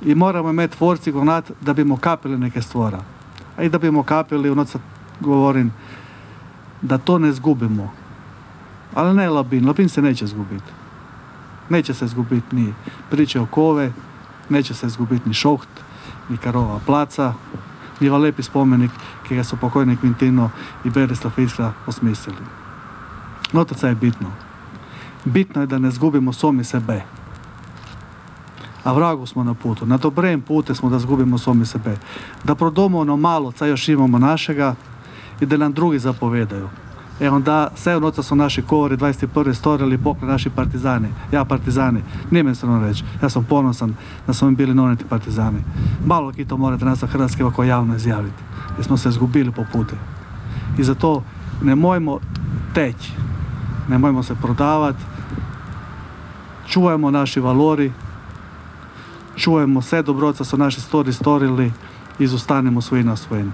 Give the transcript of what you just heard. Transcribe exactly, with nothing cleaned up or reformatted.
i moramo imeti forci gonat, da bomo kapili neke stvora. A i da bomo kapili, ono sad govorim, da to ne zgubimo. Ali ne Labin, Labin se neće zgubiti. Neće se zgubiti ni priče o Kove, neće se zgubiti ni Šoht, ni Karova placa, ni lepi spomenik, ki ga so pokojni Kvintino i Berislav Iskra osmislili. No to je bitno. Bitno je da ne zgubimo sami sebe. A vragu smo na putu. Na dobrem putu smo da zgubimo sami sebe. Da prodamo ono malo, ca još imamo našega i da nam drugi zapovedaju. E onda, sve noca su naši kovori dvadeset prve stvorili pokre naši partizani. Ja partizani. Nije me strano reći. Ja sam ponosan da smo mi bili noneti partizani. Malo ki to morate nas sa Hrvatske ovako javno izjaviti. Jer smo se zgubili po putu. I zato nemojmo teći. Nemojmo se prodavati. Čuvajmo naši valori. Čujemo sve dobroca su naši stori storili i izostanemo svoji na svojim.